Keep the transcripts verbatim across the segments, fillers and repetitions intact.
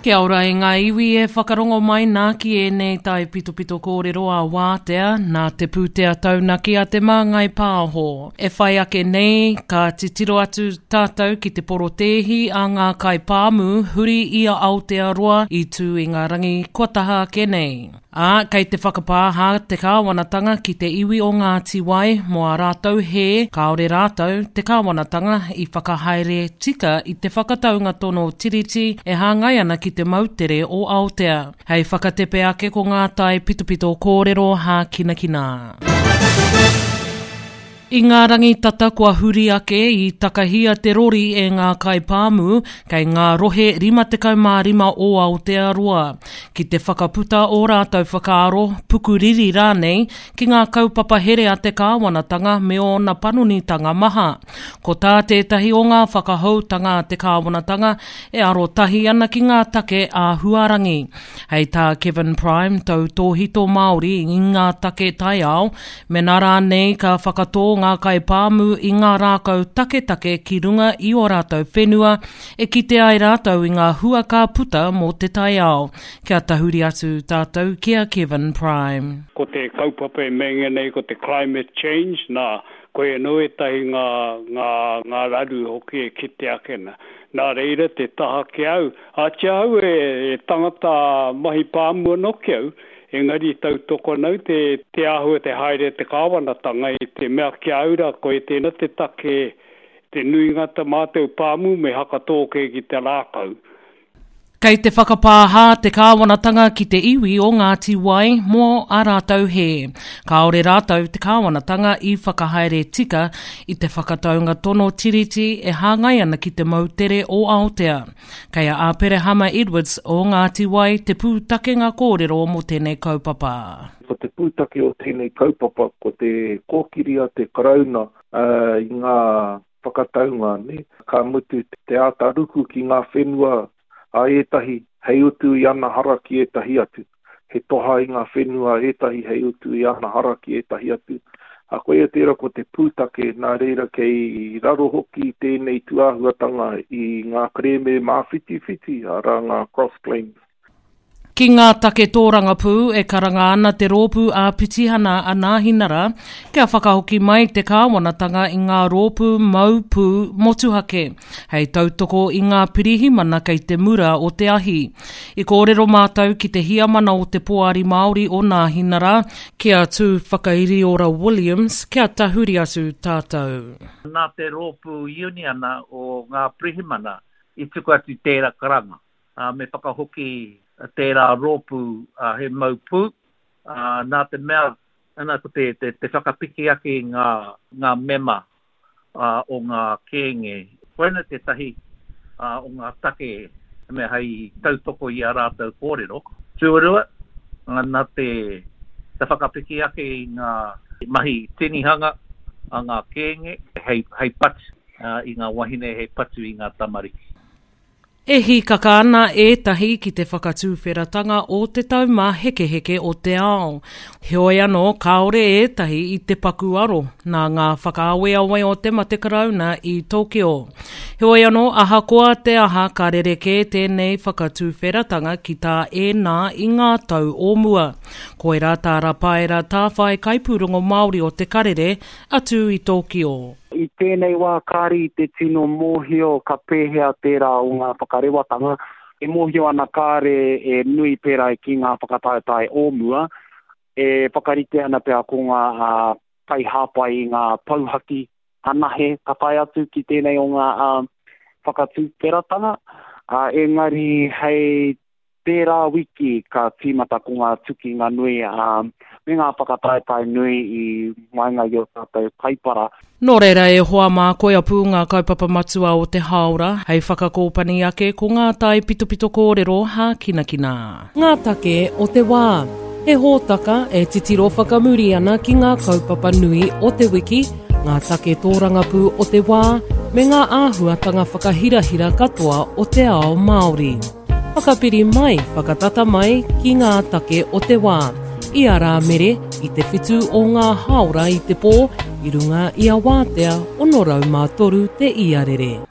Kia ora e ngā iwi e whakarongo mai nā ki ēnei taipitopito kōrero a Wātea, nā te pūtea taunaki a Te Māngai Pāho. E whai ake nei, ka titiro atu tātou ki te porotēhi a ngā kaipāmu huri i a Aotearoa i tū i ngā rangi kua taha ake nei. Ā, kei te whakapāha te kāwanatanga ki te iwi o Ngāti Wai mō ā rātou hē, kāore rātou, te kāwanatanga, i whakahaere tika i te whakataunga tono tiriti e hāngai ana ki te moutere o Aotea. Hei whakatepe ake ko ngā taipitopito kōrero hākinakina. I ngā rangi tata kua huri ake i takahia te rori e ngā kaipāmu kei ngā rohe rima tekau mā rima o Aotearoa ki te whakaputa o rātou whakaaro, pukuriri rānei, ki ngā kaupapa here a te kāwanatanga me ōna panonitanga maha. Ko tā tētahi o ngā whakahoutanga a te kāwanatanga e arotahi ana ki ngā take āhuarangi. Hei tā Kevin Prime, tautōhito Māori i ngā take taiao, mena rānei ka whakatō ngā kaipāmu i ngā rākau taketake ki runga i ō rātou whenua e kite ai rātou i ngā hua ka puta mō te taiao. Kia tahuri atu tātou ki a Kevin Prime. Ko te kaupapa e meinga nei ko te climate change, nā, koe anō ētahi ngā, ngā, ngā raru hoki e kite ake nā. Nā reira te taha ki au, ātia au e, e tangata mahi pāmu anō ki au, engari tautoko ana au te, te āhua te haere te kāwanatanga i te mea ki a au rā, koe tēnā te take, te nuinga ta mātou pāmu me hakatōke ki te rākau. Kei te whakapāha te kāwanatanga ki te iwi o Ngāti Wai mō ā rātou hē. Kāore rātou te kāwanatanga i whakahaere tika i te whakataunga tono tiriti e hāngai ana ki te moutere o Aotea. Kei a Aperehama Edwards o Ngāti Wai te pūtakenga kōrero mō tēnei kaupapa. Ko te pūtake o tēnei kaupapa ko te kōkiri a te Karauna i ngā whakataunga, ne? Ka mutu te āta ruku ki ngā whenua a ētahi hei utu i ana hara ki ētahi atu. He toha i ngā whenua a ētahi hei utu i ana hara ki ētahi atu. A koia tērā ko te pūtake, nā reira kei raro hoki tēnei tūāhuatanga i ngā kerēme māwhitiwhiti, arā ngā cross claims. Ki ngā take tōrangapū e karanga ana te rōpū ā-pitihana a Nāhinara kia whakahoki mai te kāwanatanga i ngā rōpū mau pū motuhake hei tautoko i ngā pirihimana kei te mura o te ahi. I kōrero mātou ki te hiamana o te Poari Māori o Nāhinara, ki a Tū Whakairiora Williams, kia tahuri atu tātou. Nā te rōpū uniana o ngā pirihimana i tuku atu tērā karanga. Me whakahoki tērā rōpū he mau pū, nā te mea, ana ko te, te, te whakapiki ake i ngā, ngā mema o ngā kēnge. Koina tētahi o ngā take mea hei tautoko i a rātou kōrero. Tuarua, nā te, te whakapiki ake i ngā mahi tinihanga a ngā kēnge hei, hei patu i ngā wahine, hei patu i ngā tamariki. E hīkaka ana ētahi ki te whakatūwheratanga o te taumāhekeheke o te ao. Heoi anō, kāore ētahi i te paku aro nā ngā whakaaweawe o te mate karauna i Tokyo. Heoi anō, ahakoa te aha ka rerekē tēnei whakatūwheratanga ki tā ēnā i ngā tau o mua. Koirā tā Rapaera Tāwhai kaipūrongo Māori o Te Karere atu i Tokyo. I tēnei wā kāri i te tino mōhio ka pēhea tērā o ngā whakarewatanga. E mōhio ana kāre e nui pērā ki ngā whakataetae o mua, e whakarite ana pea ko ngā kaihāpai i ngā pouhaki anahe ka tae atu ki tēnei o ngā whakatūwheratanga. Engari hei tērā wiki ka tīmata ko ngā tukinga nui me ngā whakataetae nui i waenga i o tātou kaipara. Nō reira e hoa mā koia pū ngā kaupapa matua o te haora, hei whakakōpani ake ko ngā taipitopito kōrero hākinakina. Ngā take o te wā. He hōtaka e titiro whakamuri ana ki ngā kaupapa nui o te wiki, ngā take tōrangapū o te wā, me ngā āhuatanga whakahirahira katoa o te ao Māori. Whakapiri mai, whakatata mai ki ngā take o te wā. I a Rāmere, i te whitu o ngā haora i te pō, i runga i a Wātea, ono rau mā toru te iarere.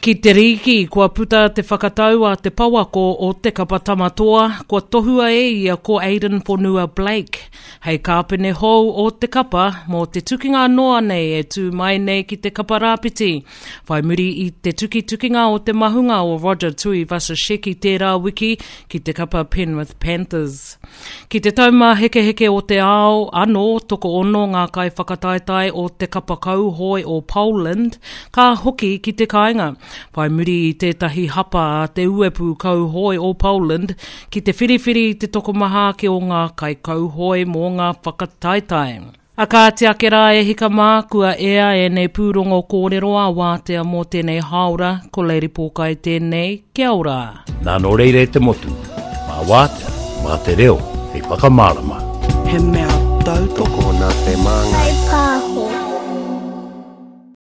Ki te rīki, kua puta te whakatau a te pouako o te kapa Tamatoa, kua tohua e ia ko Aiden Fonua Blake hei kāpene hou o te kapa mō te tukinga noa nei e tū mai nei ki te kapa rāpiti. Whai muri i te tukitukinga o te mahunga o Roger Tuivasa-Sheck tērā wiki ki te kapa Penrith Panthers. Ki te taumāhekeheke o te ao, anō tokoono ngā kaiwhakataetae o te kapa kauhoe o Poland ka hoki ki te kāinga. Whai muri i tētahi hapa a te uepu kauhoe o Poland ki te whiriwhiri i te tokomaha ake o ngā kaikauhoe mō ngā whakataetae. A kāti ake rā e hika mā, kua ea ēnei pūrongo kōrero a wātea mō tēnei hāora, ko Lady Pōkai tēnei, kia ora. Nā nō reira e te motu, mā wātea, mā te reo, hei whakamārama. He mea tautoko Tokona te māngai.